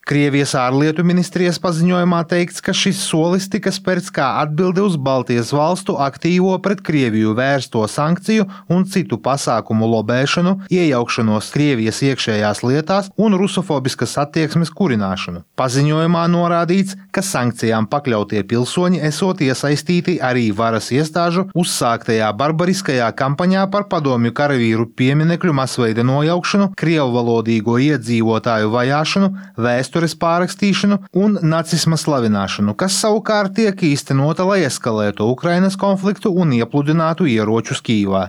Krievijas ārlietu ministrijas paziņojumā teikts, ka šis solis tika spērts kā atbilde uz Baltijas valstu aktīvo pret Krieviju vērsto sankciju un citu pasākumu lobēšanu, iejaukšanos Krievijas iekšējās lietās un rusofobiskas attieksmes kurināšanu. Paziņojumā norādīts, ka sankcijām pakļautie pilsoņi esot iesaistīti arī varas iestāžu uzsāktajā barbariskajā kampaņā par padomju karavīru pieminekļu masveida nojaukšanu, krievvalodīgo iedzīvotāju vajāšanu, vēstures pārrakstīšanu un nacisma slavināšanu, kas savukārt tiek īstenota, lai eskalētu Ukrainas konfliktu un iepludinātu ieročus Kīvā.